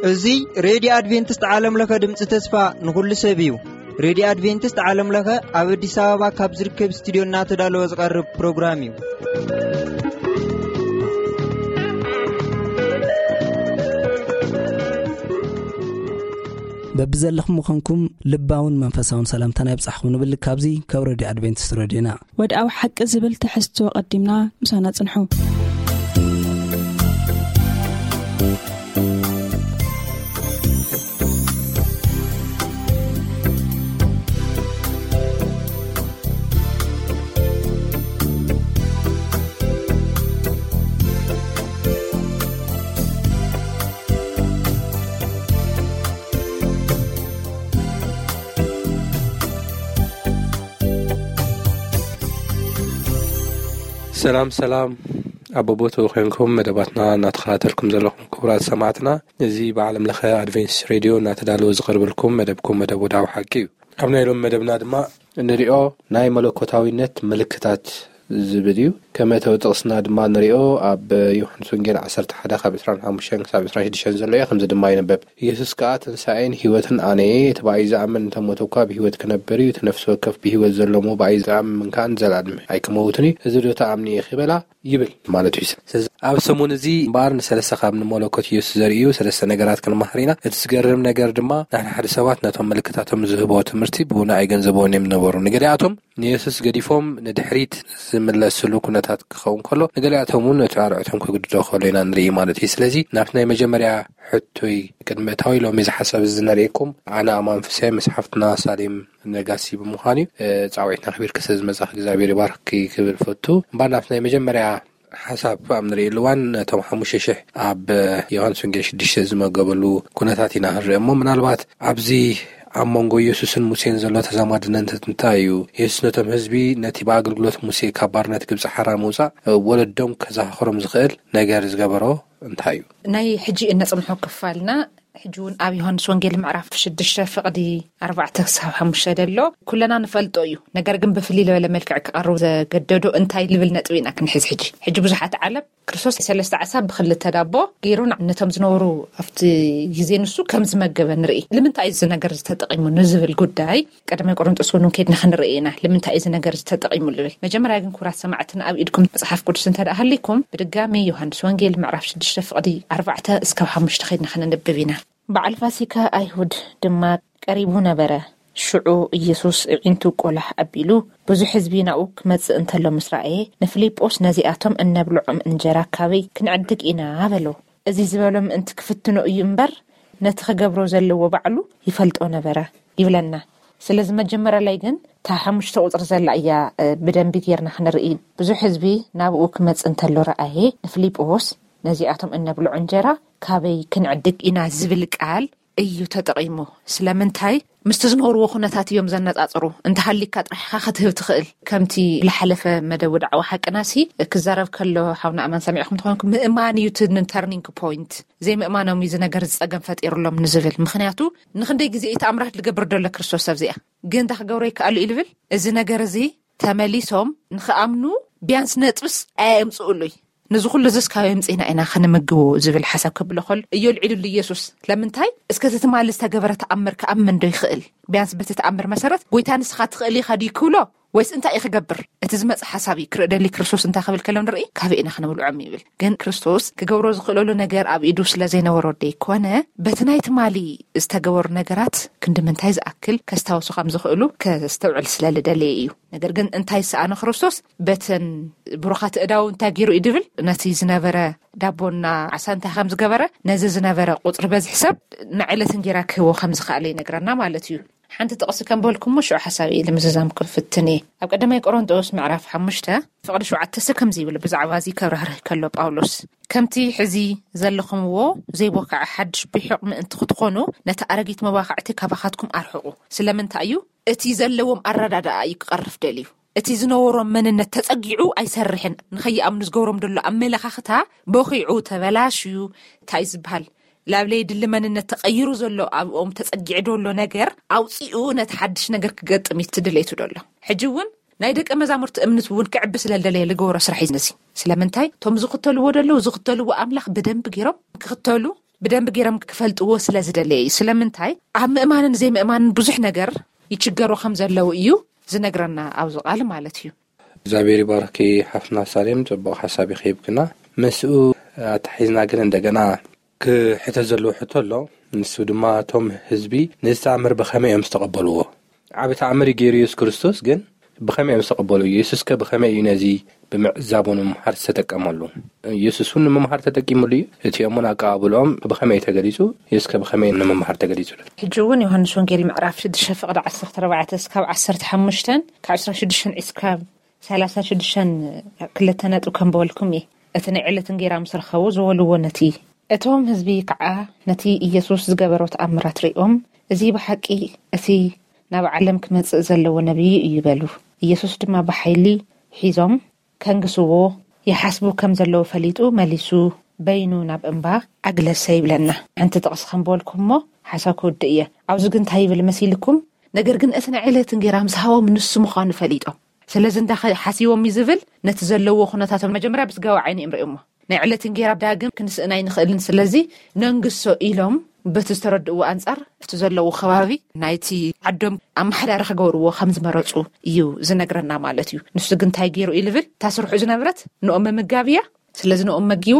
እዚ ሬድዮ ኣድቬንቲስት ዓለም ለኸ ድምፂ ተስፋ ንኹሉ ሰብ እዩ። ሬድዮ ኣድቬንቲስት ዓለም ለኸ ኣብ ኣዲስ ኣበባ ካብ ዝርከብ ስቱዲዮ እናተዳለወ ዝቐርብ ፕሮግራም እዩ። በብዘለኹም ምዃንኩም ልባውን መንፈሳውን ሰላምታና ይብጻሕኩም ንብል። ካብዚ ካብ ሬድዮ ኣድቬንቲስት ሬድዮና። ወድኣዊ ሓቂ ዝብል ትሕዝቶ ቀዲምና ምሳና ጽንሑ። ሰላም ሰላም፣ ኣብ ቦታኡ ኮይንኩም መደባትና እናተኸታተልኩም ዘለኹም ክቡራት ሰማዕትና፣ እዚ ብዓለም ለኸ ኣድቬንቲስት ሬድዮ እናተዳለወ ዝቐርበልኩም መደብኩም መደብ ወድኣዊ ሓቂ እዩ። ኣብ ናይ ሎም መደብና ድማ እንሪኦ ናይ መለኮታዊነት ምልክታት ዝብል እዩ። ከም መእተዊ ጥቕስና ድማ ንሪኦ ኣብ ዮሃንስ ወንጌል ዓሰርተ ሓደ ካብ ዕስራን ሓሙሽተን ክሳብ ዕስራን ሽዱሽተን ዘሎ እዩ። ከምዚ ድማ ይንበብ፣ ኢየሱስ ከኣ፣ "ትንሳኤን ህይወትን ኣነ እየ፣ እቲ ብኣይ ዝኣምን እንተ ሞተ እኳ ብህይወት ክነብር እዩ፣ እቲ ነፍሲ ወከፍ ብህይወት ዘሎ እሞ ብኣይ ዝኣምን ከኣ ንዘለኣለም ኣይክመውትን እዩ፣ እዚ ዶ ትኣምኒ ኢኺ?" በላ ይብል ማለት እዩ። ስለዚ ኣብ ሰሙን እዚ እምበኣር ንሰለስተ ካብ ንመለኮት ኢየሱስ ዘርእዩ ሰለስተ ነገራት ክንመሃር ኢና። እቲ ዝገርም ነገር ድማ ንሕና ሓደ ሰባት ነቶም ምልክታቶም ዝህቦ ትምህርቲ ብውነ ኣይገንዘቦን እዮም ዝነበሩ። ንገሊኣቶም ንየሱስ ገዲፎም ንድሕሪት ዝምለስሉ ኩነታት ክኸውን ከሎ፣ ንገሊኣቶም እውን ነቲ ኣርዕቶም ክግድዶ ከሎ ኢና ንርኢ ማለት እዩ። ስለዚ ናብቲ ናይ መጀመርያ ሕቶይ ቅድሚ እታዊ ሎሚ እዚ ሓሳብ እዚ ነርእየኩም፣ ኣነ ኣማን ፍስሐ ምስ ሓፍትና ሳሌም ነጋሲ ብምዃን እዩ። እ፣ ጻውዒትና ኣኽቢርኪ ስለ ዝመጻኺ እግዚኣብሔር ይባርክኪ ክብል ፈቱ። እምበኣር ናብቲ ናይ መጀመርያ ሓሳብ ኣብ ንርእየሉ እዋን ነቶም ሓሙሽተ ሽሕ ኣብ ዮሃንስ ወንጌል ሽዱሽተ ዝመገበሉ ኩነታት ኢና ክንርኢ እሞ፣ ምናልባት ኣብዚ ኣብ መንጎ ኢየሱስን ሙሴን ዘሎ ተዛማድነት እንታይ እዩ? ኢየሱስ ነቶም ህዝቢ ነቲ ብኣገልግሎት ሙሴ ካብ ባርነት ግብጺ ሓራ ምውጻእ ወለዶም ከዘኻኽሮም ዝኽእል ነገር ዝገበሮ እንታይ እዩ? ናይ ሕጂ እነጽንሖ ክፋልና ሕጂ እውን ኣብ ዮሃንስ ወንጌል ምዕራፍ ሽዱሽተ ፍቕዲ ኣርባዕተ ክሳብ ሓሙሽተ ዘሎ ኩለና ንፈልጦ እዩ። ነገር ግን ብፍልይ ዝበለ መልክዕ ክቐርብ ዘገደዶ እንታይ ልብል ነጥቢ ኢና ክንሕዝ። ሕጂ ሕጂ ብዙሓት ዓለም ክርስቶስ ሰለስተ ዓሳ ብክልተ ዳቦ ገይሩ ነቶም ዝነበሩ ኣብቲ ግዜ ንሱ ከም ዝመገበ ንርኢ። ንምንታይ እዚ ነገር ዝተጠቒሙ ንዝብል ጉዳይ ቀዳማይ ቆሮንጦስ እውን ከይድና ክንርኢ ኢና። ንምንታይ እዚ ነገር ዝተጠቒሙ ልብል? መጀመርያ ግን ክቡራት ሰማዕትና ኣብ ኢድኩም መጽሓፍ ቅዱስ እንተ ደኣ ሃሊኩም ብድጋሚ ዮሃንስ ወንጌል ምዕራፍ ሽዱሽተ ፍቕዲ ኣርባዕተ እስካብ ሓሙሽተ ከይድና ከነንብብ ኢና። በዓል ፋሲካ ኣይሁድ ድማ ቀሪቡ ነበረ። ሽዑ ኢየሱስ እዒንቱ ቆላሕ ኣቢሉ፣ ብዙሕ ህዝቢ ናብኡ ክመጽእ እንተሎ ምስ ረኣየ፣ ንፊልጶስ፣ "ነዚኣቶም እነብልዖም እንጀራ ካበይ ክንዕድግ ኢና?" በሎ። እዚ ዝበሎ ምእንቲ ክፍትኖ እዩ እምበር፣ ነቲ ክገብሮ ዘለዎ ባዕሉ ይፈልጦ ነበረ ይብለና። ስለዚ መጀመርያ ላይ ግን እታ ሓሙሽተ ቁጽሪ ዘላ እያ፣ እ፣ ብደንቢ ጌርና ክንርኢ። ብዙሕ ህዝቢ ናብኡ ክመጽእ እንተሎ ረኣየ፣ ንፊልጶስ፣ "ነዚኣቶም እነብልዖ እንጀራ ካበይ ክንዕድግ ኢና?" ዝብል ቃል እዩ ተጠቒሙ። ስለምንታይ? ምስቲ ዝነበርዎ ኩነታት እዮም ዘነጻጽሩ። እንተሃሊካ ጥራሕ ኢኻ ክትህብ ትኽእል። ከምቲ ዝሓለፈ መደብ ወድዓዊ ሓቅናሲ ክዛረብ ከሎ ሓውና ኣማን ሰሚዕኹም ትኾንኩም፣ ምእማን እዩ እቲ ተርኒንግ ፖይንት። ዘይምእማኖም እዩ እዚ ነገር ዝጸገም ፈጢሩሎም ንዝብል። ምኽንያቱ ንኽንደይ ግዜ እዩ ተኣምራት ዝገብር ዘሎ ክርስቶስ ኣብዚኣ። ግን እንታይ ክገብሮ ይከኣሉ እዩ ዝብል? እዚ ነገር እዚ ተመሊሶም ንኽኣምኑ ቢያንስ ነጥብስ ኣየምጽኡሉይ። ነዚ ኩሉ እዚስ ካበይ ኣምጺእና ኢና ክንምግቦ ዝብል ሓሳብ ከብሎ ከሎ እዩ ኣልዒሉሉ ኢየሱስ። ለምንታይ? እስከ እቲ ትማሊ ዝተገበረ ተኣምር ክኣምን ዶ ይኽእል? ቢያንስ በቲ ተኣምር መሰረት፣ "ጎይታ ንስኻ ትኽእል ኢኻ" ድዩ ክብሎ? ወይስ እንታይ እዩ ክገብር? እቲ ዝመጽእ ሓሳብ እዩ ክርኢ ደሊ። ክርስቶስ እንታይ ክብል ከሎ ንርኢ? "ካበይ ኢና ክንብልዖም?" ይብል። ግን ክርስቶስ ክገብሮ ዝኽእለሉ ነገር ኣብ ኢዱ ስለ ዘይነበሮ ደይኮነ፣ በቲ ናይ ትማሊ ዝተገበሩ ነገራት ክንዲ ምንታይ ዝኣክል ከስታውሱ ከም ዝኽእሉ ከስተውዕል ስለ ዝደለየ እዩ። ነገር ግን እንታይ ዝሰኣነ ክርስቶስ? በተን ብሩኻት እዳው እንታይ ገይሩ እዩ ድብል? ነቲ ዝነበረ ዳቦና ዓሳ እንታይ ከም ዝገበረ፣ ነዚ ዝነበረ ቁጽሪ በዝሒ ሰብ ንዕለት እንጌራ ክህቦ ከም ዝኸኣለ ይነግረና ማለት እዩ። ሓንቲ ጥቕሲ ከም በልኩሞ ሽዑ ሓሳብ ኢለ ምዝዛም ክፍትን እየ። ኣብ ቀዳማይ ቆሮንጦስ ምዕራፍ ሓሙሽተ ፍቕዲ ሸውዓተ ሰብ ከምዚ ይብል፣ ብዛዕባ እዚ ከብራህርህ ከሎ ጳውሎስ፣ "ከምቲ ሕዚ ዘለኹምዎ ዘይቦካዐ ሓድሽ ብሒቕ ምእንቲ ክትኾኑ፣ ነቲ ኣረጊት መባኽዕቲ ካባኻትኩም ኣርሕቑ።" ስለምንታይ እዩ? እቲ ዘለዎም ኣረዳድኣ እዩ ክቐርፍ ደልዩ። እቲ ዝነበሮም መንነት ተጸጊዑ ኣይሰርሕን። ንኸይኣምኑ ዝገብሮም ዘሎ ኣመለኻኽታ ቦኺዑ፣ ተበላሽዩ፣ እንታይ ዝበሃል፣ ላብ ለይድሊ መንነት ተቐይሩ ዘሎ ኣብኦም ተጸጊዑ ዘሎ ነገር ኣውጺኡ ነቲ ሓድሽ ነገር ክገጥም እዩ እቲ ድሌቱ ዘሎ። ሕጂ እውን ናይ ደቀ መዛሙርቲ እምነት እውን ክዕቢ ስለ ዝደለየ ዝገበሮ ስራሕ እዩ ነዚ። ስለምንታይ? እቶም ዝኽተልዎ ዘለዉ ዝኽተልዎ ኣምላኽ ብደንቢ ገይሮም ክኽተሉ፣ ብደንቢ ገይሮም ክፈልጥዎ ስለ ዝደለየ እዩ። ስለምንታይ? ኣብ ምእማንን ዘይምእማንን ብዙሕ ነገር ይችገሩ ከም ዘለዉ እዩ ዝነግረና ኣብዚ ቃል ማለት እዩ። እግዚኣብሔር ይባርኪ ሓፍትና ሳሌም፣ ጽቡቕ ሓሳብ ይኸይብክና። ምስኡ ኣተሒዝና ግን እንደገና ክሕተት ዘለዎ ሕቶ ኣሎ። ንሱ ድማ እቶም ህዝቢ ነዚ ተኣምር ብኸመይ እዮም ዝተቐበልዎ? ዓቢ ተኣምር እዩ ገይሩ የሱስ ክርስቶስ፣ ግን ብኸመይ እዮም ዝተቐበሉ? የሱስከ ብኸመይ እዩ ነዚ ብምዕዛቡ ንምምሃር ዝተጠቀመሉ? የሱስ እውን ንምምሃር ተጠቂሙሉ እዩ። እቲኦም እውን ኣቀባብልኦም ብኸመይ እዩ ተገሊጹ? የሱስከ ብኸመይ ንምምሃር ተገሊጹ? ሕጂ እውን ዮሃንስ ወንጌል ምዕራፍ ሽዱሽተ ፍቕዲ ዓሰርተ ኣርባዕተ እስካብ ዓሰርተ ሓሙሽተ፣ ካብ ዕስራን ሽዱሽተን እስካብ ሰላሳን ሽዱሽተን ክልተ ነጥቢ ከንበበልኩም እየ። እቲ ናይ ዕለት እንጌራ ምስ ረኸቡ ዝበልዎ ነቲ፣ እቶም ህዝቢ ከዓ ነቲ ኢየሱስ ዝገበሮ ተኣምራት ሪኦም፣ "እዚ ብሓቂ እቲ ናብ ዓለም ክመጽእ ዘለዎ ነቢይ እዩ" በሉ። ኢየሱስ ድማ ብሓይሊ ሒዞም ከንግስዎ ይሓስቡ ከም ዘለዉ ፈሊጡ መሊሱ በይኑ ናብ እምባ ኣግለሰ ይብለና። ሓንቲ ጥቕሲ ከንበበልኩም እሞ ሓሳብ ክውድእ እየ። ኣብዚ ግን እንታይ ይብል መሲልኩም? ነገር ግን እቲ ናይ ዕለት እንጌራ ምስ ሃቦም ንሱ ምዃኑ ፈሊጦም። ስለዚ እንዳ ሓሲቦም እዩ ዝብል ነቲ ዘለዎ ኩነታቶም መጀመርያ ብስጋዊ ዓይኒ እዮም ርእዮሞ። ናይ ዕለት እንጌራ ዳግም ክንስእን ኣይንኽእልን፣ ስለዚ ነንግሶ ኢሎም በቲ ዝተረድእዎ ኣንጻር እቲ ዘለዎ ከባቢ ናይቲ ዓዶም ኣመሓዳሪ ክገብርዎ ከም ዝመረጹ እዩ ዝነግረና ማለት እዩ። ንሱ ግን እንታይ ገይሩ እዩ ዝብል? እታ ስርሑ ዝነበረት ንኦም ምምጋብ እያ። ስለዚ ንኦም መጊቡ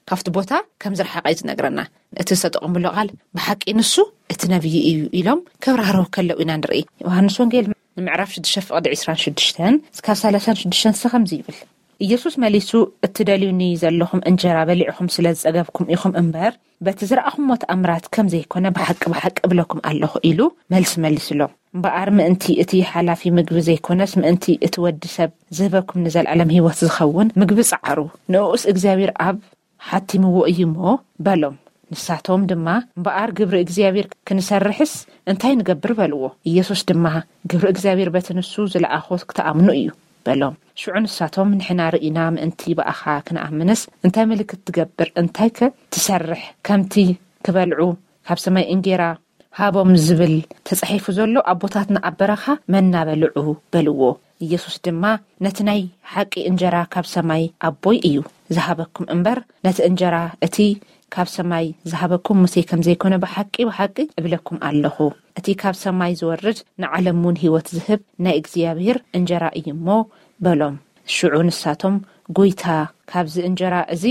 ካብቲ ቦታ ከም ዝረሓቐ እዩ ዝነግረና። እቲ ዝተጠቐምሉ ቃል ብሓቂ ንሱ እቲ ነቢይ እዩ ኢሎም ከብራህርሁ ከለዉ ኢና ንርኢ። ዮሃንስ ወንጌል ንምዕራፍ ሽዱሽተ ፍቕዲ ዕስራን ሽዱሽተን እስካብ ሰላሳን ሽዱሽተን እስከ ከምዚ ይብል። ኢየሱስ መሊሱ፣ "እትደልዩኒ ዘለኹም እንጀራ በሊዕኹም ስለ ዝጸገብኩም ኢኹም እምበር፣ በቲ ዝረኣኹምዎ ተኣምራት ከም ዘይኮነ ብሓቂ ብሓቂ እብለኩም ኣለኹ" ኢሉ መልሲ መሊሱሎም። እምበኣር ምእንቲ እቲ ሓላፊ ምግቢ ዘይኮነስ ምእንቲ እቲ ወዲ ሰብ ዝህበኩም ንዘለኣለም ህይወት ዝኸውን ምግቢ ጸዓሩ። ንእኡስ እግዚኣብሔር ኣብ ሓቲምዎ እዩ እሞ በሎም። ንሳቶም ድማ፣ "እምበኣር ግብሪ እግዚኣብሔር ክንሰርሕስ እንታይ ንገብር?" በልዎ። ኢየሱስ ድማ፣ "ግብሪ እግዚኣብሔር በቲ ንሱ ዝለኣኾ ክትኣምኑ እዩ" በሎም። ሽዑ ንሳቶም፣ "ንሕና ርኢና ምእንቲ ብኣኻ ክንኣምንስ እንታይ ምልክት ትገብር? እንታይከ ትሰርሕ? ከምቲ ክበልዑ ካብ ሰማይ እንጌራ ሃቦም ዝብል ተጻሒፉ ዘሎ፣ ኣቦታትና ኣብ በረኻ መና በልዑ" በልዎ። ኢየሱስ ድማ፣ "ነቲ ናይ ሓቂ እንጀራ ካብ ሰማይ ኣቦይ እዩ ዝሃበኩም እምበር፣ ነቲ እንጀራ እቲ ካብ ሰማይ ዝሃበኩም ሙሴ ከም ዘይኮነ ብሓቂ ብሓቂ እብለኩም ኣለኹ። እቲ ካብ ሰማይ ዝወርድ ንዓለም እውን ህይወት ዝህብ ናይ እግዚኣብሔር እንጀራ እዩ እሞ" በሎም። ሽዑ ንሳቶም፣ "ጐይታ፣ ካብዚ እንጀራ እዚ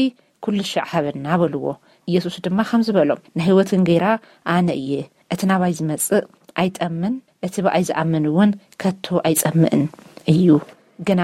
ኩሉ ሻዕ ሃበና" በልዎ። ኢየሱስ ድማ ከምዚ በሎም፣ "ናይ ህይወት እንጌራ ኣነ እየ። እቲ ናባይ ዝመጽእ ኣይጠምን፣ እቲ ብኣይ ዝኣምን እውን ከቶ ኣይጸምእን እዩ። ግና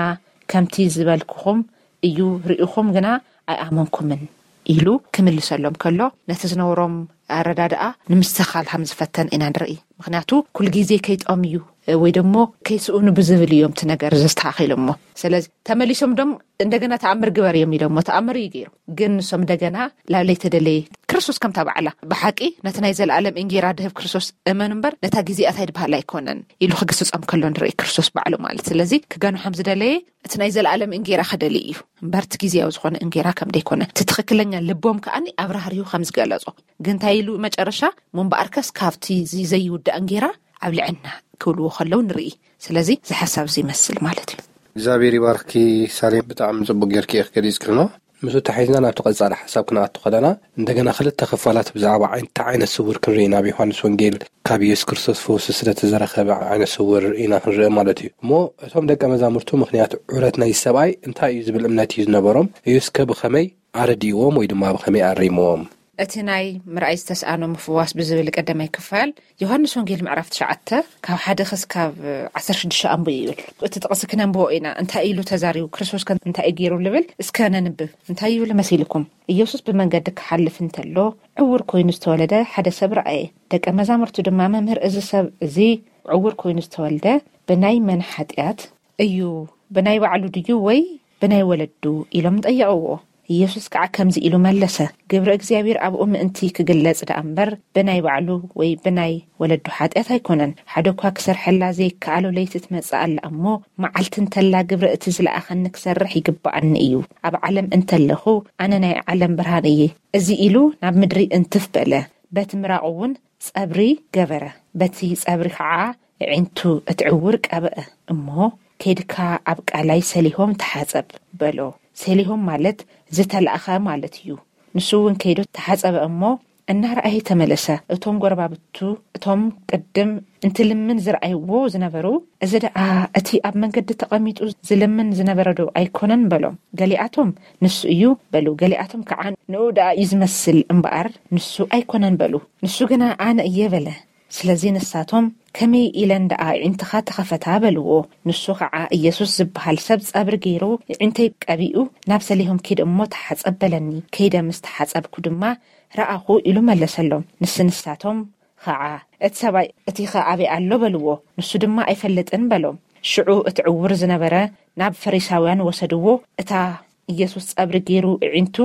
ከምቲ ዝበልኩኹም እዩ፣ ርኢኹም ግና ኣይኣመንኩምን" ኢሉ ክምልሰሎም ከሎ፣ ነቲ ዝነበሮም ኣረዳድኣ ንምስተኻል ከም ዝፈተን ኢና ንርኢ። ምኽንያቱ፣ ኩሉ ግዜ ከይጠምዩ ወይ ደሞ ከይስእኑ ብዝብል እዮም እቲ ነገር ዘስተኻኺሎሞ። ስለዚ ተመሊሶም ዶም እንደገና ተኣምር ግበር እዮም ኢሎሞ፣ ተኣምር እዩ ገይሩ። ግን ንሶም እንደገና ላዕለይ ተደለየ። ክርስቶስ ከምታ ባዕላ፣ "ብሓቂ ነቲ ናይ ዘለኣለም እንጌራ ድህብ ክርስቶስ እመኑ እምበር፣ ነታ ግዜኣት ኣይድበሃል ኣይኮነን" ኢሉ ክግስጾም ከሎ ንርኢ፣ ክርስቶስ ባዕሉ ማለት። ስለዚ ክገንሖም ዝደለየ እቲ ናይ ዘለኣለም እንጌራ ክደሊ እዩ እምበር፣ እቲ ግዜያዊ ዝኾነ እንጌራ ከም ደይኮነ፣ እቲ ትኽክለኛ ልቦም ከኣኒ ኣብራህሪሁ ከም ዝገለጾ። ግን እንታይ ኢሉ መጨረሻ? "እሞ እምበኣርከስ ካብቲ እዚ ዘይውዳእ እንጌራ ኣብልዐና" ክብልዎ ከለዉ ንርኢ። ስለዚ እዚ ሓሳብ እዚ ይመስል ማለት እዩ። እግዚኣብሔር ይባርኪ ሳሌም፣ ብጣዕሚ ጽቡቅ ጌርኪ ኢኺ ገሊጽክኖ። ምስኡ ተሓይዝና ናብቲ ቀጻሊ ሓሳብ ክንኣቱ ከለና፣ እንደገና ክልተ ክፋላት ብዛዕባ ዓይን-፣ እቲ ዓይነ ስውር ክንርኢ፣ ናብ ዮሃንስ ወንጌል ካብ ኢየሱስ ክርስቶስ ፈውሲ ስለ ተዘረኸበ ዓይነ ስውር ኢና ክንርኢ ማለት እዩ። እሞ እቶም ደቀ መዛሙርቱ ምኽንያት ዑረት ናይ ሰብኣይ እንታይ እዩ ዝብል እምነት እዩ ዝነበሮም? ኢየሱስከ ብኸመይ ኣረዲእዎም ወይ ድማ ብኸመይ ኣሪምዎም? እቲ ናይ ምርኣይ ዝተስኣኖ ምፍዋስ ብዝብል ቀዳማይ ክፋል ዮሃንስ ወንጌል ምዕራፍ ትሽዓተ ካብ ሓደ ክስካብ ዓሰርተ ሽዱሽተ ኣንብቡ ይብል። እቲ ጥቕሲ ክነንብቦ ኢና። እንታይ ኢሉ ተዛሪቡ? ክርስቶስ ከ እንታይ እዩ ገይሩ ልብል? እስከ ነንብብ። እንታይ ይብል መሲልኩም? ኢየሱስ ብመንገዲ ክሓልፍ እንተሎ ዕውር ኮይኑ ዝተወለደ ሓደ ሰብ ረኣየ። ደቀ መዛሙርቱ ድማ፣ "መምህር፣ እዚ ሰብ እዚ ዕውር ኮይኑ ዝተወልደ ብናይ መን ሓጢኣት እዩ? ብናይ ባዕሉ ድዩ ወይ ብናይ ወለዱ?" ኢሎም ጠየቕዎ። ኢየሱስ ከዓ ከምዚ ኢሉ መለሰ፣ "ግብሪ እግዚኣብሔር ኣብኡ ምእንቲ ክግለጽ ደኣ እምበር፣ ብናይ ባዕሉ ወይ ብናይ ወለዱ ሓጢኣት ኣይኮነን። ሓደ እኳ ክሰርሐላ ዘይከኣሎ ለይቲ ትመጽእ ኣላ እሞ፣ መዓልቲ እንተላ ግብሪ እቲ ዝለኣኸኒ ክሰርሕ ይግብኣኒ እዩ። ኣብ ዓለም እንተለኹ፣ ኣነ ናይ ዓለም ብርሃን እየ።" እዚ ኢሉ ናብ ምድሪ እንትፍ በለ፣ በቲ ምራቑ እውን ጸብሪ ገበረ። በቲ ጸብሪ ከዓ ኣዒንቱ እቲ ዕውር ቀብአ እሞ ከይድካ ኣብ ቃላይ ሰሊሆም ተሓጸብ በሎ። ሰሊሆም ማለት ዝተላእኸ ማለት እዩ። ንሱ እውን ከይዱ ተሓጸበ እሞ እናረኣየ ተመለሰ። እቶም ጎረባብቱ፣ እቶም ቅድም እንትልምን ዝረኣይዎ ዝነበሩ፣ "እዚ ደኣ እቲ ኣብ መንገዲ ተቐሚጡ ዝልምን ዝነበረ ዶ ኣይኮነን?" በሎም። ገሊኣቶም፣ "ንሱ እዩ" በሉ። ገሊኣቶም ከዓ፣ "ንኡ ደኣ እዩ ዝመስል እምበኣር ንሱ ኣይኮነን" በሉ። ንሱ ግና፣ "ኣነ እየ" በለ። ስለዚ ንሳቶም፣ "ከመይ ኢለን ደኣ ኣዒንትኻ ተኸፈታ?" በልዎ። ንሱ ኸዓ፣ "ኢየሱስ ዝበሃል ሰብ ጸብሪ ገይሩ፣ ኣዒንተይ ቀቢኡ፣ ናብ ሰሊሆም ኪድ እሞ ተሓጸብ በለኒ። ከይደ ምስ ተሓጸብኩ ድማ ረኣኹ" ኢሉ መለሰሎም። ንስ ንሳቶም ኸዓ፣ "እቲ ሰብኣይ እቲኸ ኣበይ ኣሎ?" በልዎ። ንሱ ድማ፣ "ኣይፈልጥን" በሎም። ሽዑ እቲ ዕውር ዝነበረ ናብ ፈሪሳውያን ወሰድዎ። እታ ኢየሱስ ጸብሪ ገይሩ ኣዒንቱ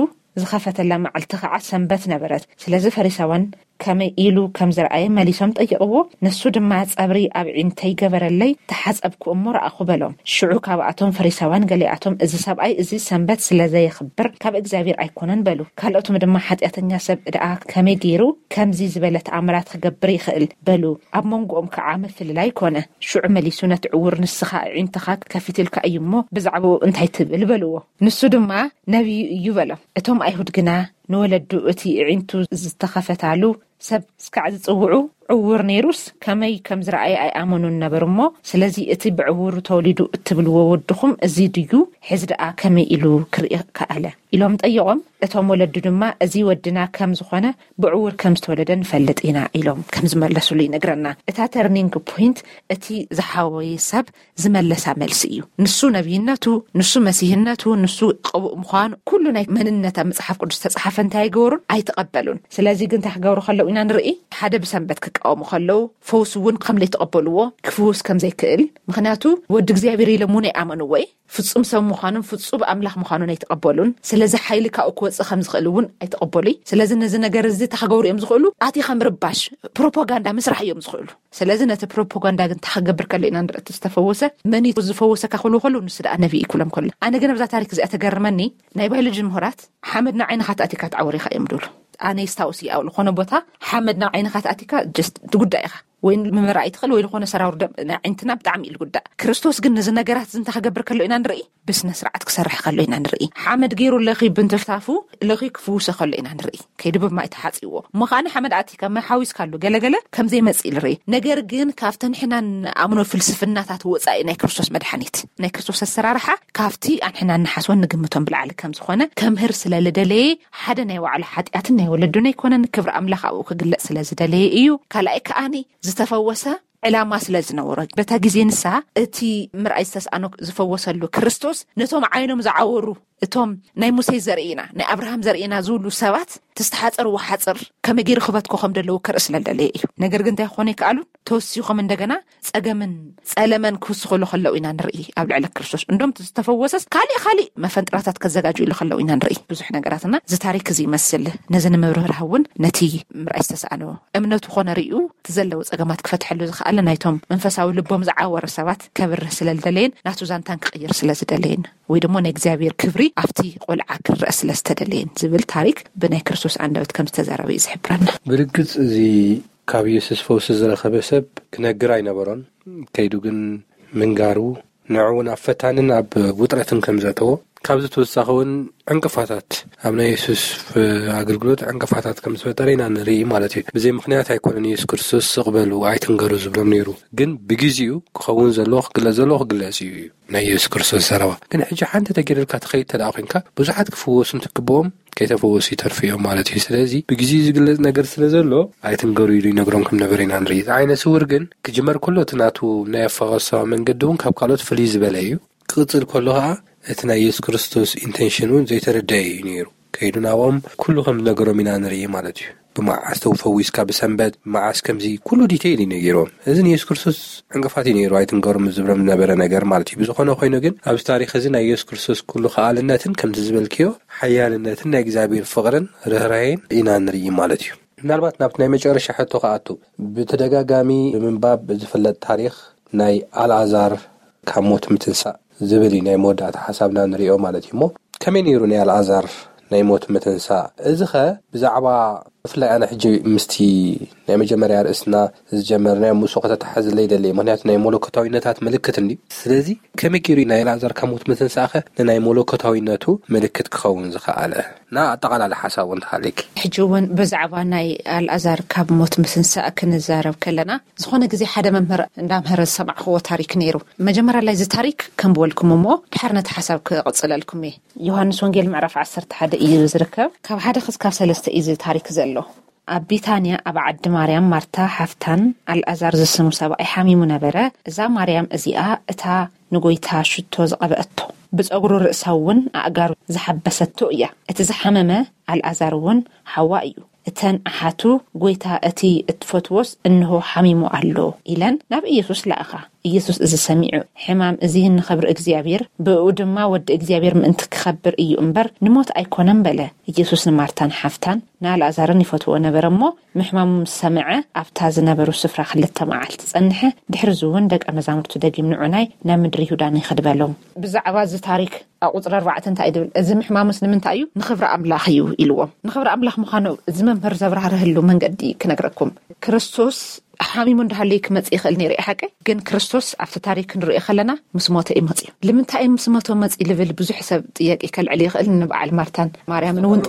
ዝኸፈተላ መዓልቲ ኸዓ ሰንበት ነበረት። ስለዚ ፈሪሳውያን ከመይ ኢሉ ከም ዝረኣየ መሊሶም ጠየቕዎ። ንሱ ድማ፣ "ጸብሪ ኣብ ኣዒንተይ ገበረለይ፣ ተሓጸብኩ እሞ ረኣኹ" በሎም። ሽዑ ካብኣቶም ፈሪሳውያን ገሊኣቶም፣ "እዚ ሰብኣይ እዚ ሰንበት ስለ ዘየኽብር ካብ እግዚኣብሔር ኣይኮነን" በሉ። ካልኦትም ድማ፣ "ሓጢኣተኛ ሰብ ደኣ ከመይ ገይሩ ከምዚ ዝበለ ተኣምራት ክገብር ይኽእል?" በሉ። ኣብ መንጎኦም ከዓ ምፍልላይ ኮነ። ሽዑ መሊሱ ነቲ ዕውር፣ "ንስኻ ኣዒንትኻ ከፊትልካ እዩ እሞ ብዛዕባኡ እንታይ ትብል?" በልዎ። ንሱ ድማ፣ "ነቢዩ እዩ" በሎም። እቶም ኣይሁድ ግና፣ "ንወለዱ እቲ ኣዒንቱ ዝተኸፈታሉ ሰብ እስካዕ ዝጽውዑ፣ ዕውር ነይሩስ ከመይ ከም ዝረኣየ ኣይኣመኑን ነበሩ እሞ፣ ስለዚ እቲ ብዕውሩ ተወሊዱ እትብልዎ ወድኹም እዚ ድዩ? ሕዚ ደኣ ከመይ ኢሉ ክርኢ ከኣለ?" ኢሎም ጠየቖም። እቶም ወለዱ ድማ፣ "እዚ ወድና ከም ዝኾነ ብዕውር ከም ዝተወለደ ንፈልጥ ኢና" ኢሎም ከም ዝመለሱሉ ይነግረና። እታ ተርኒንግ ፖይንት እቲ ዝሓወየ ሰብ ዝመለሳ መልሲ እዩ። ንሱ ነቢይነቱ፣ ንሱ መሲህነቱ፣ ንሱ ቀቡእ ምዃኑ፣ ኩሉ ናይ መንነት ኣብ መጽሓፍ ቅዱስ ተጻሓፈ እንታይ ኣይገበሩን? ኣይተቐበሉን። ስለዚ ግን እንታይ ክገብሩ ከለዉ ኢና ንርኢ? ሓደ ብሰንበት ክቃወሙ ከለዉ፣ ፈውስ እውን ከም ዘይተቐበልዎ፣ ክፍውስ ከም ዘይክእል፣ ምኽንያቱ ወዲ እግዚኣብሔር ኢሎም እውን ኣይኣመንዎ እዩ። ፍጹም ሰብ ምዃኑን ፍጹም ኣምላኽ ምዃኑን ኣይተቐበሉን። ስለዚ ሓይሊ ካብኡ ክወጽእ ከም ዝኽእል እውን ኣይተቐበሉይ። ስለዚ ነዚ ነገር እዚ እንታይ ክገብሩ እዮም ዝኽእሉ? ኣቲኻ ምርባሽ፣ ፕሮፓጋንዳ ምስራሕ እዮም ዝኽእሉ። ስለዚ ነቲ ፕሮፓጋንዳ ግን እንታይ ክገብር ከሎ ኢና ንርኢ? እቲ ዝተፈወሰ መን እዩ ዝፈወሰካ ክብሉ ከለዉ፣ ንሱ ደኣ ነቢይ እዩ ክብሎም ከሎ። ኣነ ግን ኣብዛ ታሪክ እዚኣ ተገርመኒ፣ ናይ ባዮሎጂ ምሁራት ሓመድ ናብ ዓይንኻ ተኣቲካ ትዓወር ኢኻ እዮም ድብሉ። ኣነ ይስታውስ እዩ ኣብ ዝኾነ ቦታ ሓመድ ናብ ዓይንኻ ተኣቲካ just ትጉዳእ ኢኻ። ወይ ምምራእ ኣይትኽእል ወይ ዝኾነ ሰራውር ደም ናይ ዓይንትና ብጣዕሚ እዩ ዝጉዳእ። ክርስቶስ ግን ነዚ ነገራት እዚ እንታይ ክገብር ከሎ ኢና ንርኢ? ብስነ ስርዓት ክሰርሕ ከሎ ኢና ንርኢ። ሓመድ ገይሩ ለኺ ብንትፍታፉ ለኺ ክፍውሰ ከሎ ኢና ንርኢ። ከይዱ ብማይ ተሓጺዎ። እሞ ከኣ ሓመድ ኣቲካ ማይ ሓዊስካሉ ገለገለ ከም ዘይመጽእ ንርኢ። ነገር ግን ካብቲ ንሕና ንኣምኖ ፍልስፍናታት ወጻኢ ናይ ክርስቶስ መድሓኒት፣ ናይ ክርስቶስ ኣሰራርሓ ካብቲ ኣንሕና ንሓስቦን ንግምቶን ብላዕሊ ከም ዝኾነ ከምህር ስለ ልደለየ፣ ሓደ ናይ ባዕሉ ሓጢኣትን ናይ ወለዱን ኣይኮነን፣ ክብሪ ኣምላኽ ኣብኡ ክግለጽ ስለ ዝደለየ እዩ። ካልኣይ ከኣኒ ዝተፈወሰ ዕላማ ስለ ዝነበሮ፣ በታ ግዜ ንሳ እቲ ምርኣይ ዝተስኣኖ ዝፈወሰሉ ክርስቶስ ነቶም ዓይኖም ዝዓወሩ፣ እቶም ናይ ሙሴ ዘርኢና፣ ናይ ኣብርሃም ዘርኢና ዝብሉ ሰባት፣ እቲ ዝተሓጸርዎ ሓጽር ከመይ ገይሩ ክበትኮ ከም ዘለዎ ከርኢ ስለ ዝደለየ እዩ። ነገር ግን እንታይ ክኾኑ ይከኣሉን? ተወሲኾም እንደገና ጸገምን ጸለመን ክውስኽሉ ከለዉ ኢና ንርኢ ኣብ ልዕሊ ክርስቶስ። እንዶም እቲ ዝተፈወሰስ ካሊእ ካሊእ መፈንጥራታት ከዘጋጅሉ ከለዉ ኢና ንርኢ። ብዙሕ ነገራትና እዚ ታሪክ እዚ ይመስል። ነዚ ንምብርህራህ እውን ነቲ ምርኣይ ዝተሰኣኖ እምነቱ ኮነ ርእዩ እቲ ዘለዎ ጸገማት ክፈትሐሉ ዝኸኣለ ናይቶም መንፈሳዊ ልቦም ዝዓወረ ሰባት ከብርህ ስለ ዝደለየን ናቱ ዛንታን ክቕይር ስለ ዝደለየን ወይ ድማ ናይ እግዚኣብሔር ክብሪ ኣብቲ ቆልዓ ክረአ ስለ ዝተደለየን ዝብል ታሪክ ብናይ ክርስቶስ ኣንደበት ከም ዝተዛረበ እዩ ዝሕብረና። ብርግጽ እዚ ካብ ኢየሱስ ፈውሲ ዝረኸበ ሰብ ክነግር ኣይነበሮን። ከይዱ ግን ምንጋሩ ንዕኡ እውን ኣብ ፈታንን ኣብ ውጥረትን ከም ዘእተዎ፣ ካብዚ ተወሳኺ እውን ዕንቅፋታት ኣብ ናይ የሱስ ኣገልግሎት ዕንቅፋታት ከም ዝፈጠረ ኢና ንርኢ ማለት እዩ። ብዘይ ምኽንያት ኣይኮነን የሱስ ክርስቶስ ስቕ በሉ ኣይትንገሩ ዝብሎም ነይሩ። ግን ብግዜኡ ክኸውን ዘለዎ ክግለጽ ዘለዎ ክግለጽ እዩ እዩ ናይ የሱስ ክርስቶስ ዘረባ። ግን ሕጂ ሓንቲ ተገይርልካ ትኸይድ ተደኣ ኮንካ ብዙሓት ክፍወሱ እንትግብኦም ከይተፈወሱ ይተርፉ እዮም ማለት እዩ። ስለዚ ብግዜኡ ዝግለጽ ነገር ስለ ዘሎ ኣይትንገሩ ኢሉ ይነግሮም ከም ነበረ ኢና ንርኢ። እቲ ዓይነ ስውር ግን ክጅመር ከሎ እቲ ናቱ ናይ ኣፈወሳ መንገዲ እውን ካብ ካልኦት ፍልይ ዝበለ እዩ። ክቕጽል ከሎ ኸዓ እቲ ናይ የሱስ ክርስቶስ ኢንቴንሽን እውን ዘይተረደአ እዩ ነይሩ። ከይዱ ናብኦም ኩሉ ከም ዝነገሮም ኢና ንርኢ ማለት እዩ። ብመዓስ ተው ፈዊስካ ብሰንበት ብመዓስ ከምዚ ኩሉ ዲቴይል እዩ ነጊሮም። እዚ ንየሱስ ክርስቶስ ዕንቅፋት እዩ ነይሩ ኣይትንገሮም ዝብሎም ዝነበረ ነገር ማለት እዩ። ብዝኾነ ኮይኑ ግን ኣብዚ ታሪክ እዚ ናይ የሱስ ክርስቶስ ኩሉ ከኣልነትን ከምዚ ዝበልክዮ ሓያልነትን ናይ እግዚኣብሔር ፍቕርን ርህራሄን ኢና ንርኢ ማለት እዩ። ምናልባት ናብቲ ናይ መጨረሻ ሕቶ ክኣቱ ብተደጋጋሚ ብምንባብ ዝፍለጥ ታሪክ ናይ ኣልኣዛር ካብ ሞት ምትንሳእ ዝብል እዩ ናይ መወዳእታ ሓሳብና ንሪኦ ማለት እዩ። እሞ ከመይ ነይሩ ናይ ኣልኣዛር ናይ ሞት ምትንሳእ? እዚ ኸ ብዛዕባ ብፍላይ ኣነ ሕጂ ምስቲ ናይ መጀመርያ ርእስና ዝጀመርናዮ ምስኡ ከተተሓዝለይ ደለየ። ምክንያቱ ናይ መለኮታዊነታት ምልክት እንዲ። ስለዚ ከመይ ገይሩ ናይ ኣልኣዛር ካብ ሞት ምትንሳእኸ ንናይ መለኮታዊነቱ ምልክት ክኸውን ዝኸኣለ? ና ኣጠቓላሊ ሓሳብ እውን ተሃለኪ። ሕጂ እውን ብዛዕባ ናይ ኣልኣዛር ካብ ሞት ምትንሳእ ክንዛረብ ከለና፣ ዝኾነ ግዜ ሓደ መምህር እንዳምህረ ዝሰማዕክዎ ታሪክ ነይሩ። መጀመርያ ላይ እዚ ታሪክ ከንብበልኩም እሞ ድሓር ነቲ ሓሳብ ክቕጽለልኩም እየ። ዮሃንስ ወንጌል ምዕራፍ ዓሰርተ ሓደ እዩ ዝርከብ። ካብ ሓደ ክስካብ ሰለስተ እዩ እዚ ታሪክ ዘሎ። ኣብ ቢታንያ ኣብ ዓዲ ማርያም ማርታ ሓፍታን ኣልኣዛር ዝስሙ ሰብኣይ ሓሚሙ ነበረ። እዛ ማርያም እዚኣ እታ ንጎይታ ሽቶ ዝቐበአቶ፣ ብጸጉሩ ርእሳ እውን ኣእጋሩ ዝሓበሰቶ እያ። እቲ ዝሓመመ ኣልኣዛር እውን ሓዋ እዩ። እተን ኣሓቱ፣ ጎይታ እቲ እትፈትዎስ እንሆ ሓሚሙ ኣሎ ኢለን ናብ ኢየሱስ ለኣኻ። ኢየሱስ እዚ ሰሚዑ፣ ሕማም እዚ ንኸብሪ እግዚኣብሔር፣ ብእኡ ድማ ወዲ እግዚኣብሔር ምእንቲ ክኸብር እዩ እምበር ንሞት ኣይኮነን በለ። ኢየሱስ ንማርታን ሓፍታን ንኣልኣዛርን ይፈትዎ ነበረ እሞ፣ ምሕማሙ ምስ ሰምዐ ኣብታ ዝነበሩ ስፍራ ክልተ መዓልቲ ጸንሐ። ድሕሪ እዚ እውን ደቀ መዛሙርቱ ደጊም ንዑናይ ናብ ምድሪ ይሁዳ ንኸድ በሎም። ብዛዕባ እዚ ታሪክ ኣብ ቁጽሪ ኣርባዕተ እንታይ ድብል? እዚ ምሕማሙስ ንምንታይ እዩ? ንኽብሪ ኣምላኽ እዩ ኢልዎም። ንኽብሪ ኣምላኽ ምዃኑ እዚ መምህር ዘብራህርህሉ መንገዲ ክነግረኩም። ክርስቶስ ሓሚሙ እንዳሃለየ ክመጽእ ይኽእል ነይሩ እዩ ሓቂ። ግን ክርስቶስ ኣብቲ ታሪክ ክንሪኦ ከለና ምስ ሞተ እዩ መጽዩ። ልምንታይ እዩ ምስ ሞተ መጽዩ ልብል ብዙሕ ሰብ ጥያቄ ከልዕል ይኽእል። ንበዓል ማርታን ማርያምን እውን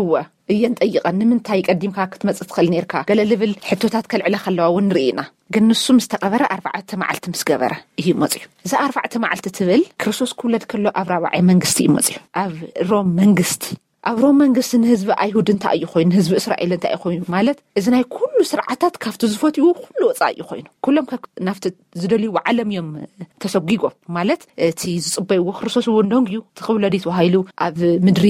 እወ እየን ጠይቐን፣ ንምንታይ ቀዲምካ ክትመጽእ ትኽእል ነርካ? ገለ ልብል ሕቶታት ከልዕለ ከለዋ እውን ንርኢ ኢና። ግን ንሱ ምስ ተቐበረ ኣርባዕተ መዓልቲ ምስ ገበረ እዩ መጽዩ። እዛ ኣርባዕተ መዓልቲ ትብል ክርስቶስ ክውለድ ከሎ ኣብ ራብዓይ መንግስቲ እዩ መጽዩ። ኣብ ሮም መንግስቲ ኣብ ሮም መንግስቲ ንህዝቢ ኣይሁድ እንታይ እዩ ኮይኑ? ንህዝቢ እስራኤል እንታይ እዩ ኮይኑ? ማለት እዚ ናይ ኩሉ ስርዓታት ካብቲ ዝፈትይዎ ኩሉ ወፃኢ እዩ ኮይኑ። ኩሎም ከ ናብቲ ዝደልይዎ ዓለም እዮም ተሰጒጎም። ማለት እቲ ዝፅበይዎ ክርስቶስ እውን ደንግዩ እቲ ክውለድ እዩ ተባሂሉ ኣብ ምድሪ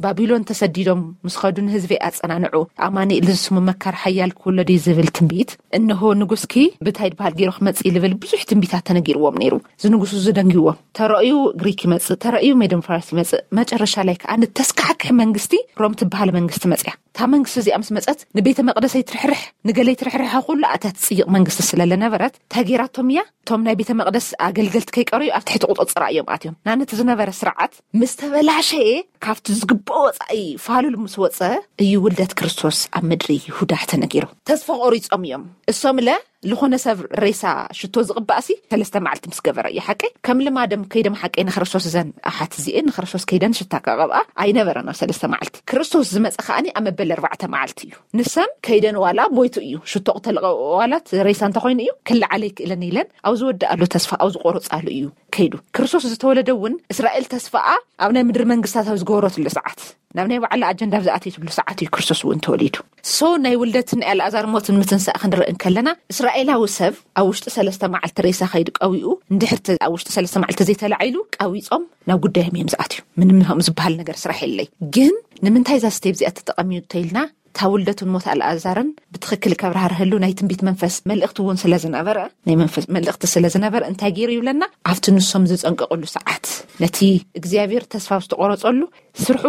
ባቢሎን ተሰዲዶም ምስ ኸዱ ንህዝቢ ኣፀናንዑ። ኣማኑኤል ዝስሙ መካር ሓያል ክውለድ እዩ ዝብል ትንቢት፣ እንሆ ንጉስኪ ብታይ ድበሃል ገይሩ ክመፅእ ልብል ብዙሕ ትንቢታት ተነጊርዎም ነይሩ። እዚ ንጉስ እዚ ደንግይዎም። ተረእዩ ግሪክ ይመፅእ፣ ተረእዩ ሜዶን ፋርስ ይመፅእ። መጨረሻ ላይ ከዓ ንተስካሕክሕ መንግስቲ ሮም ትበሃል መንግስቲ መፅያ። እታ መንግስቲ እዚኣ ምስ መፀት ንቤተ መቅደሰይ ትርሕርሕ ንገለይ ትርሕርሐ ኩሉ ኣታ ትፅይቕ መንግስቲ ስለ ለነበረት እንታይ ገይራቶም እያ? እቶም ናይ ቤተ መቅደስ ኣገልገልቲ ከይቀረዩ ኣብ ትሕቲ ቁፅፅራ እዮም ኣትዮም። ናነቲ ዝነበረ ስርዓት ምስ ተበላሸየ ካብቲ ዝግብኦ ወፃኢ ፋሉል ምስ ወፀ እዩ ውልደት ክርስቶስ ኣብ ምድሪ ይሁዳ ተነጊሩ። ተስፋ ቆሪፆም እዮም እሶም ለ ዝኾነ ሰብ ሬሳ ሽቶ ዝቕባእሲ ሰለስተ መዓልቲ ምስ ገበረ እዩ ሓቀይ። ከም ልማደም ከይደም ሓቀይ ንክርስቶስ እዘን ኣሓት እዚኤን ንክርስቶስ ከይደን ሽታ ከቐብኣ ኣይነበረን ኣብ ሰለስተ መዓልቲ። ክርስቶስ ዝመፀ ከዓኒ ኣብ መበል ኣርባዕተ መዓልቲ እዩ። ንሰን ከይደን ዋላ ቦይቱ እዩ ሽቶ ክተልቐ ዋላት ሬሳ እንተኮይኑ እዩ ክልዓለ ይክእለን ኢለን ኣብ ዝወድኣሉ ተስፋ ኣብ ዝቆረፃሉ እዩ ከይዱ። ክርስቶስ ዝተወለደ እውን እስራኤል ተስፋኣ ኣብ ናይ ምድሪ መንግስታት ኣብ ዝገበረትሉ ሰዓት ናብ ናይ ባዕላ ኣጀንዳ ኣብ ዝኣተየትሉ ሰዓት እዩ ክርስቶስ እውን ተወሊዱ። ሶ ናይ ውልደትን ናይ ኣልኣዛር ሞትን ምትንሳእ ክንርኢ እንከለና እስራኤላዊ ሰብ ኣብ ውሽጢ ሰለስተ መዓልቲ ሬሳ ከይዱ ቀዊኡ እንድሕር ተ- ኣብ ውሽጢ ሰለስተ መዓልቲ ዘይተላዒሉ ቀዊፆም ናብ ጉዳዮም እዮም ዝኣትዩ። ምንም ከም ዝበሃል ነገር ስራሕ የለይ። ግን ንምንታይ እዛ ስቴፕ እዚኣ ተጠቐሚዩ እንተኢልና እታ ውልደቱን ሞት ኣልኣዛርን ብትኽክል ከብራህርህሉ ናይ ትንቢት መንፈስ መልእኽቲ እውን ስለ ዝነበረ ናይ መንፈስ መልእኽቲ ስለ ዝነበረ እንታይ ገይሩ ይብለና ኣብቲ ንሶም ዝፀንቀቕሉ ሰዓት ነቲ እግዚኣብሔር ተስፋ ዝተቆረፀሉ ስርሑ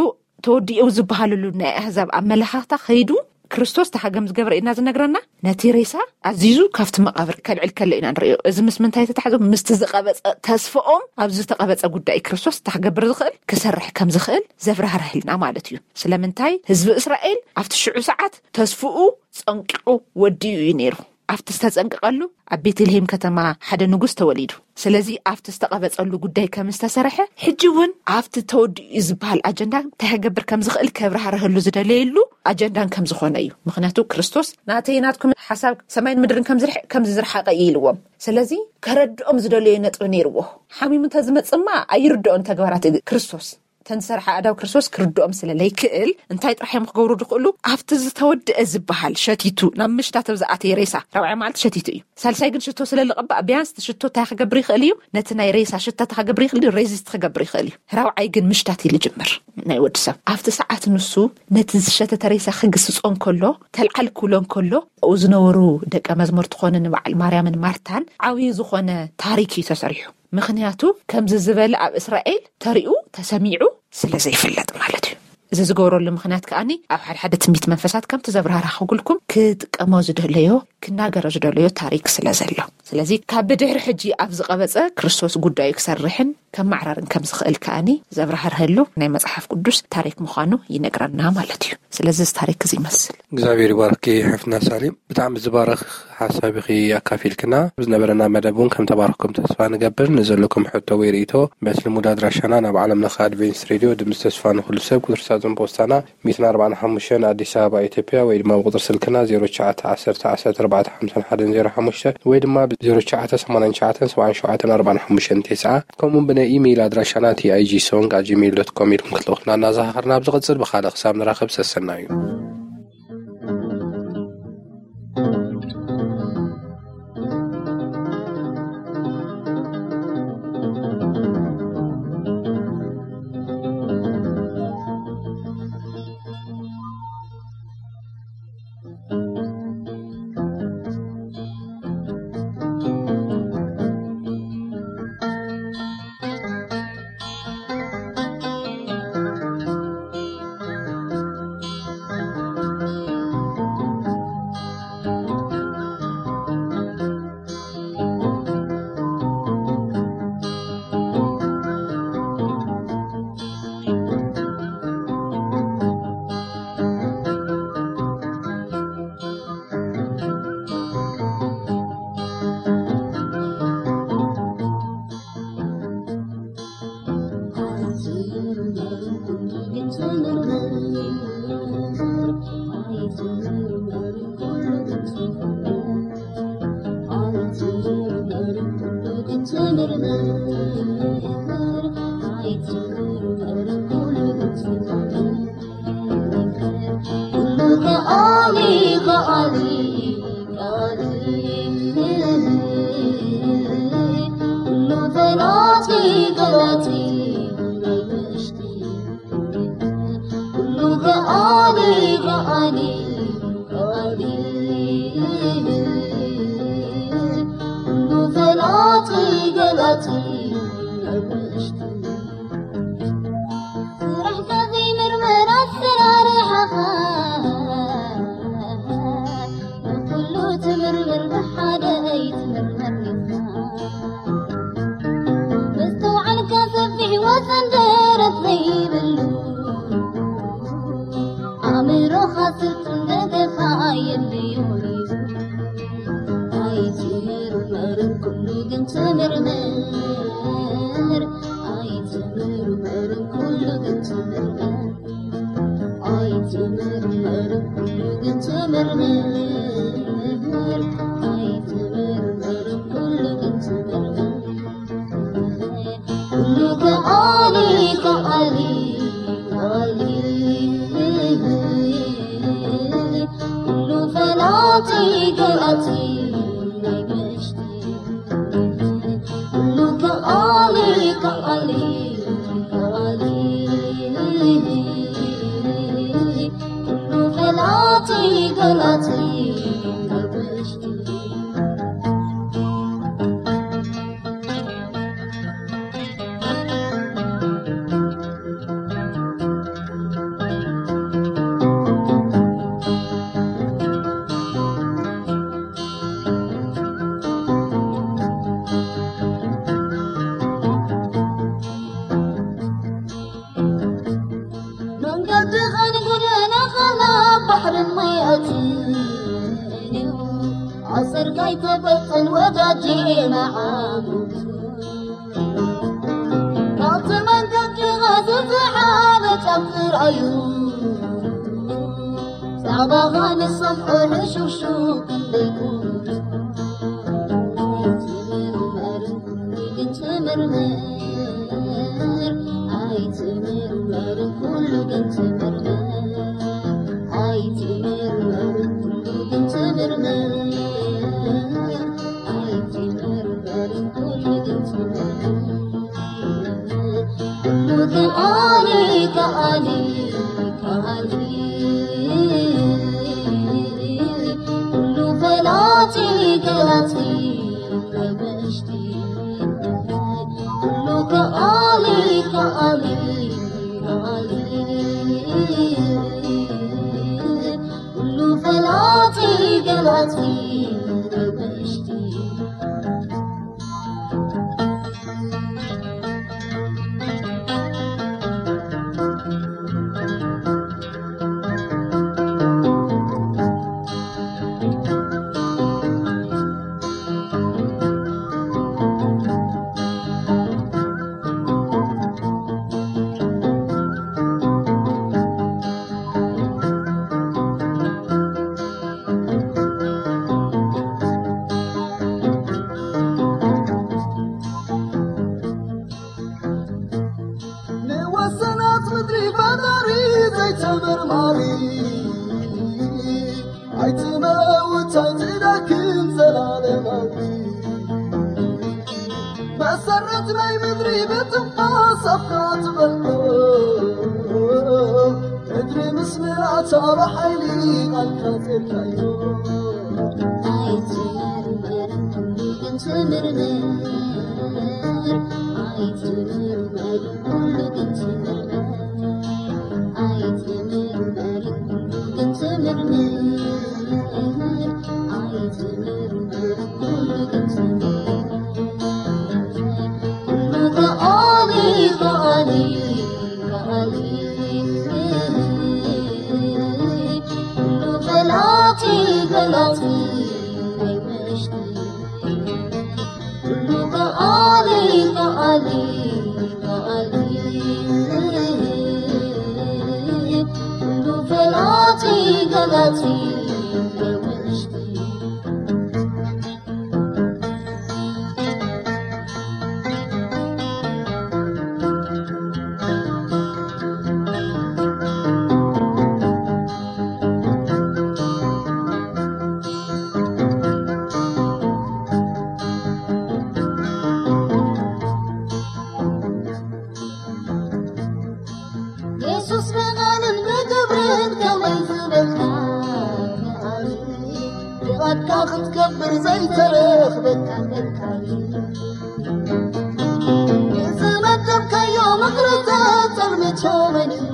ተወዲኡ ዝበሃልሉ ናይ ኣህዛብ ኣመለኻኽታ ከይዱ ክርስቶስ ተሓገም ዝገብረ ኢና ዝነግረና። ነቲ ሬሳ ኣዚዙ ካብቲ መቓብር ከልዕል ከሎ ኢና ንርእዮ። እዚ ምስ ምንታይ ተታሕዞ? ምስቲ ዝቐበፀ ተስፋኦም ኣብ ዝተቐበፀ ጉዳይ ክርስቶስ እንታይ ክገብር ዝኽእል ክሰርሕ ከም ዝኽእል ዘብራህርህልና ማለት እዩ። ስለምንታይ ህዝቢ እስራኤል ኣብቲ ሽዑ ሰዓት ተስፍኡ ፀንቂቑ ወዲኡ እዩ ነይሩ። ኣብቲ ዝተፀንቀቐሉ ኣብ ቤተልሔም ከተማ ሓደ ንጉስ ተወሊዱ። ስለዚ ኣብቲ ዝተቐበፀሉ ጉዳይ ከም ዝተሰርሐ ሕጂ እውን ኣብቲ ተወዲኡ ዝበሃል ኣጀንዳ እንታይ ክገብር ከም ዝኽእል ከብራህርህሉ ዝደለየሉ ኣጀንዳን ከም ዝኾነ እዩ። ምክንያቱ ክርስቶስ ናተይ ናትኩም ሓሳብ ሰማይን ምድርን ከም ዝርሕቅ ከም ዝዝርሓቀ እዩ ኢልዎም። ስለዚ ከረድኦም ዝደለዮ ነጥቢ ነይርዎ። ሓሚሙ እንተዝመፅማ ኣይርድኦን ተግባራት ክርስቶስ ተንሰርሐ ኣዳው ክርስቶስ ክርድኦም ስለ ለይክእል እንታይ ጥራሕ እዮም ክገብሩ ዝኽእሉ? ኣብቲ ዝተወድአ ዝበሃል ሸቲቱ ናብ ምሽታት ኣብ ዝኣተየ ሬሳ ራብዓይ መዓልቲ ሸቲቱ እዩ። ሳልሳይ ግን ሽቶ ስለ ልቐባእ ቢያንስ እቲ ሽቶ እንታይ ክገብር ይኽእል እዩ? ነቲ ናይ ሬሳ ሽታ እንታይ ክገብር ይኽእል እዩ? ሬዚስት ክገብር ይኽእል እዩ። ራብዓይ ግን ምሽታት እዩ ልጅምር ናይ ወዲ ሰብ። ኣብቲ ሰዓት ንሱ ነቲ ዝሸተተ ሬሳ ክግስጾ እንከሎ ተልዓል ክብሎ እንከሎ ኣብኡ ዝነበሩ ደቀ መዝሙርቲ ኮነ ንበዓል ማርያምን ማርታን ዓብዪ ዝኾነ ታሪክ እዩ ተሰሪሑ። ምኽንያቱ ከምዚ ዝበለ ኣብ እስራኤል ተሪኡ ተሰሚዑ ስለ ዘይፍለጥ ማለት እዩ። እዚ ዝገብረሉ ምኽንያት ከኣኒ ኣብ ሓደ ሓደ ትንቢት መንፈሳት ከምቲ ዘብራህራኹጉልኩም ክጥቀሞ ዝደለዮ ክናገሮ ዝደለዮ ታሪክ ስለ ዘሎ። ስለዚ ካብ ብድሕሪ ሕጂ ኣብ ዝቐበጸ ክርስቶስ ጉዳዩ ክሰርሕን ከማዕራርን ከም ዝኽእል ከኣኒ ዘብራህርሀሉ ናይ መጽሓፍ ቅዱስ ታሪክ ምዃኑ ይነግረና ማለት እዩ። ስለዚ እዚ ታሪክ እዚ ይመስል። እግዚኣብሔር ይባርኪ ሕፍና ሳሌም። ብጣዕሚ ዝባረኽ ሓሳብ ኢኺ ኣካፊልክና። ዝነበረና መደብ እውን ከም ተባረኽኩም ተስፋ ንገብር። ንዘለኩም ሕቶ ወይ ርእይቶ በቲ ልሙድ ኣድራሻና ናብ ዓለም ለኸ ኣድቬንቲስት ሬድዮ ድምፂ ተስፋ ንኹሉ ሰብ ቁፅሪ ሳጥን ፖስታና ሚእትን ኣርባዓን ሓሙሽተን ኣዲስ ኣበባ ኢትዮጵያ ወይ ድማ ብቁፅሪ ስልክና ዜሮ ትሽዓተ ዓሰርተ ዓሰርተ ኣርባዕተ ሓምሳን ሓደን ዜሮ ሓሙሽተ ወይ ድማ ብ ዜሮ ትሽዓተ ሰማንያን ትሽዓተን ሰብዓን ሸውዓተን ኣርባዓን ሓሙሽተን ተስዓ ከምኡ ብናይ ኢሜይል ኣድራሻና ቲ ኣይ ጂ ሶንግ ኣት ጂሜይል ዶት ኮም ኢልኩም ክትልእኹልና እናዘኻኸርና ኣብ ዝቕፅል ብኻልእ ክሳብ ንራኸብ ሰሰና እዩ። ገላጺ ውሽጢ። ንወሰናት ምድሪ ፈጣሪ ዘይተመርማሪ፣ ኣይትመውት ኣይትደክም ዘላለማዊ። መሰረት ናይ ምድሪ ብትንፋስ ኣፍካ ትበልዖ፣ ምድሪ ምስ ምልኣታ ብሓይሊ ቃልካ ጼርካዮ። ኣይትመርመርን ኩሉ ግን ትምርምር፣ ኣይትመርመርን ኩሉ ግን ትምርምር፣ ኣይትመርመርን ኩሉ ግን ትምርምር፣ ኣይትመርመርን ኩሉ ግን ትምርምር። ኩሉ ከኣሊ፣ ከኣሊ፣ ከኣሊ፣ ኩሉ ፈላጢ፣ ገላጺ ናይ ውሽጢ። ኩሉ ከኣሊ፣ ከኣሊ፣ ከኣሊ፣ ኩሉ ፈላጢ፣ ገላጺ ናይ ውሽጢ። የሱስ ብቓልን ብግብርን ከመይ ዝበልካ መሃሪ፣ ብቓልካ ክትገብር ዘይተረኽበካ መካሪ። ንዝመደብካዮ ምኽሪ ተጠርምቶ መን እዩ?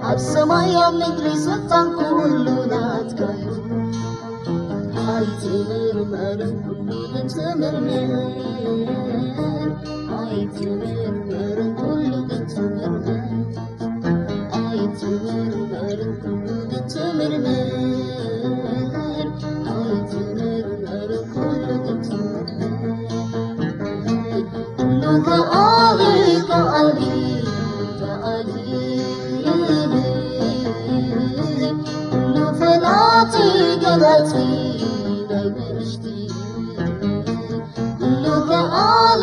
ኣብ ሰማይ ኣብ ምድሪ ስልጣን ኩሉ ናትካ እዩ። ኣይትመርመርን ኩሉ ግን ትምርምር፣ ኣይትመርመርን ኩሉ ግን ትምርምር፣ ኣይትመርመርን ኩሉ ግን ትምርምር፣ ኣይትመርመርን ኩሉ ግን ትምርምር። ኩሉ ከኣሊ፣ ከኣሊ፣ ከኣሊ፣ ኩሉ ፈላጢ፣ ገላጺ ናይ ውሽጢ። ኩሉ ከኣሊ፣